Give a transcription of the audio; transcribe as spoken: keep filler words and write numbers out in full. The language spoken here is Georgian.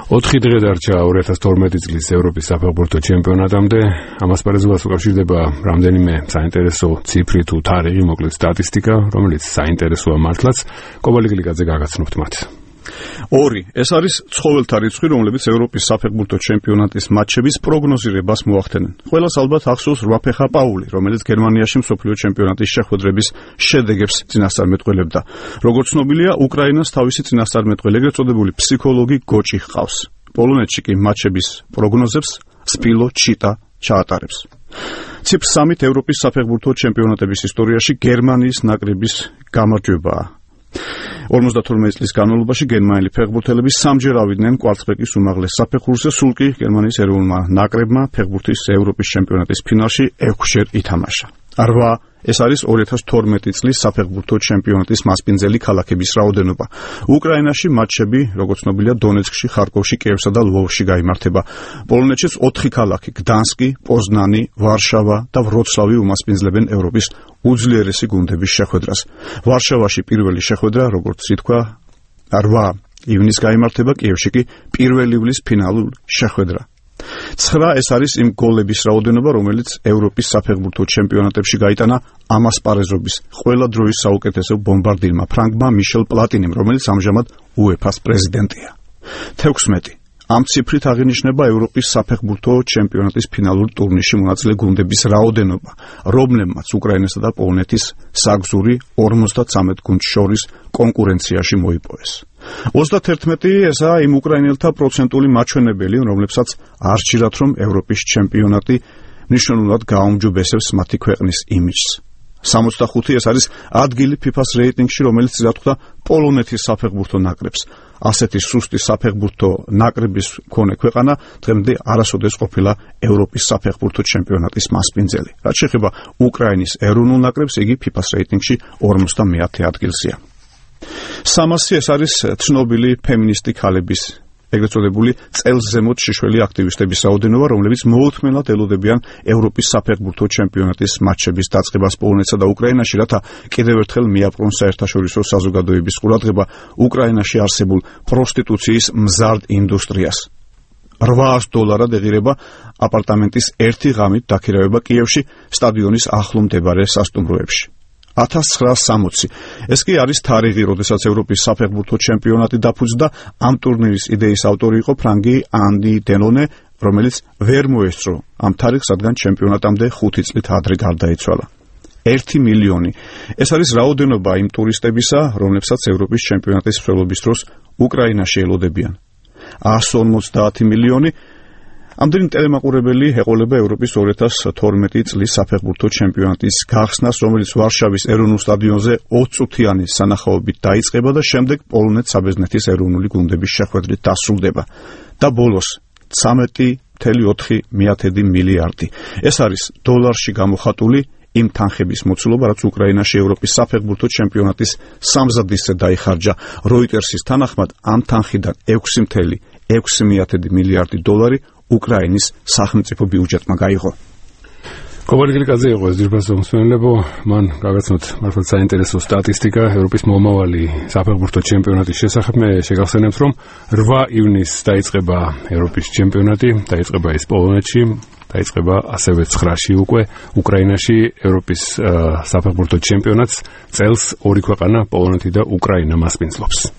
ოთხი დღე დარჩა ორი ათას თორმეტი წლის ევროპის საფეხბურთო ჩემპიონატამდე. ამას პარიზულად უკავშირდება რამდენიმე საინტერესო ციფრი თუ თარიღი, მოკლედ სტატისტიკა, რომელიც საინტერესოა მართლაც. კობალიგლიკაძე გაგაცნობთ მათ. ორი. ეს არის ცხოველთა რიცხვი, რომლებიც ევროპის საფეხბურთო ჩემპიონატის მატჩების პროგნოზირებას მოახდენენ. ყველას ალბათ ახსოვს რვაფეხა პაული, რომელიც გერმანიაში მსოფლიო ჩემპიონატის შეხვედრების შედეგებს წინასწარმეტყველებდა. როგორც ცნობილია, უკრაინას თავისი წინასწარმეტყველი, ეგრეთ წოდებული ფსიქოლოგი გოჭი ჰყავს. პოლონეთში კი მატჩების პროგნოზებს სპილო ჩიტა ჩაატარებს. ციფრ სამით ევროპის საფეხბურთო ჩემპიონატების ისტორიაში გერმანიის ნაკრების გამარჯვებაა. ორმოცდათორმეტი წლის განმავლობაში გერმანელი ფეხბურთელები სამჯერ ავიდნენ კვარცხლბეკის უმაღლეს საფეხურზე, სულ კი გერმანიის ეროვნულმა ნაკრებმა ფეხბურთის ევროპის ჩემპიონატის ფინალში ექვსჯერ ითამაშა. რვა. ეს არის ორი ათას თორმეტი წლის საფეხბურთო ჩემპიონატის მასპინძელი ქალაქების რაოდენობა. უკრაინაში მატჩები, როგორც ცნობილია, დონეცკში, ხარკოვში, კიევსა და ლვოვში გაიმართება. პოლონეთშიც ოთხი ქალაქი, გდანსკი, პოზნანი, ვარშავა და ვროცლავი უმასპინძლებენ ევროპის უძლიერესი გუნდების შეხვედრას. ვარშავაში პირველი შეხვედრა, როგორც ითქვა, რვა ივნისს გაიმართება, კიევში კი პირველი ივლის ფინალური შეხვედრა. ცხრა. ეს არის იმ გოლების რაოდენობა, რომელიც ევროპის საფეხბურთო ჩემპიონატებში გაიტანა ამასპარეზობის ყველა დროის საუკეთესო ბომბარდირმა ფრანგმა მიშელ პლატინიმ, რომელიც ამჟამად უეფას პრეზიდენტია. თექვსმეტი. ამ ციფრით აღინიშნება ევროპის საფეხბურთო ჩემპიონატის ფინალურ ტურნირში მონაწილე გუნდების რაოდენობა, რომლებმაც უკრაინასა და პოლონეთის საგზური ორმოცდათვრამეტ გუნდს შორის კონკურენციაში მოიპოვეს. ოცდათერთმეტი. ესაა იმ უკრაინელთა პროცენტული მაჩვენებელი, რომლებსაც არ სჭირათ, რომ ევროპის ჩემპიონატი მნიშვნელოვნად გააუმჯობესებს მათი ქვეყნის იმიჯს. სამოცდახუთი. ეს არის ადგილი ფიფას რეიტინგში, რომელიც რა თქვა პოლონეთის საფეხბურთო ნაკრებს. ასეთი სუსტი საფეხბურთო ნაკრების მქონე ქვეყანა დღემდე არასოდეს ყოფილა ევროპის საფეხბურთო ჩემპიონატის მასპინძელი. რაც შეეხება უკრაინის ეროვნულ ნაკრებს, იგი ფიფას რეიტინგში ორმოცდამეათე ადგილზეა. სამასი. ეს არის ცნობილი ფემინისტი ქალების, ეგრეთ წოდებული წელს ზემოთ შეშველი აქტივისტების რაოდენობა, რომლებიც მოუთმენლად ელოდებიან ევროპის საფეხბურთო ჩემპიონატის მატჩების დაწყებას პოლონეთსა და უკრაინაში, რათა კიდევ ერთხელ მიაპყრონ საერთაშორისო საზოგადოების ყურადღება უკრაინაში არსებულ პროსტიტუციის მზარდ ინდუსტრიას. რვაას დოლარად ეღირება აპარტამენტის ერთი ღამით დაქირავება კიევში სტადიონის ახლო მდებარე სასტუმროებში. ათას ცხრაას სამოცი. ეს კი არის თარიღი, როდესაც ევროპის საფეხბურთო ჩემპიონატი დაფუძნდა. ამ ტურნირის იდეის ავტორი იყო ფრანგი ანდი დელონე, რომელიც ვერ მოესწრო ამ თარიღს, რადგან ჩემპიონატამდე ხუთი წლით ადრე გარდაიცვალა. ერთი მილიონი. ეს არის რაოდენობა იმ ტურისტებისა, რომლებსაც ევროპის ჩემპიონატის მსვლელობის დროს უკრაინაში ელოდებიან. ასი ორმოცდაათი მილიონი. ამდენი ტელემაყურებელი ეყოლება ევროპის ორი ათას თორმეტი წლის საფეხბურთო ჩემპიონატის გახსნას, რომელიც ვარშავის ეროვნულ სტადიონზე ოცწუთიანი სანახაობით დაიწყება და შემდეგ პოლონეთ-საბერძნეთის ეროვნული გუნდების შეხვედრით დასრულდება. და ბოლოს ცხრამეტი კoma ოთხი მილიარდი. ეს არის დოლარში გამოხატული იმ თანხების მოცულობა, რაც უკრაინაში ევროპის საფეხბურთო ჩემპიონატის სამზადისზე დაიხარჯა. როიტერსის თანახმად ამ თანხიდან ექვსი კoma ექვსი მილიარდი დოლარი უკრაინის სახელმწიფო ბიუჯეტმა გაიღო. კობალიგლიკაძე იყო ეს ძირფასო მსმენელებო, მან გაგაცნოთ მართლა საინტერესო სტატისტიკა ევროპის მომავალი საფეხბურთო ჩემპიონატის შესახებ. მე შეგახსენებთ, რომ რვა ივნისს დაიწყება ევროპის ჩემპიონატი, დაიწყება ის პოლონეთში, დაიწყება ასევე ცხრაში უკვე უკრაინაში ევროპის საფეხბურთო ჩემპიონატს. წელს ორი ქვეყანა, პოლონეთი და უკრაინა მასპინძლობს.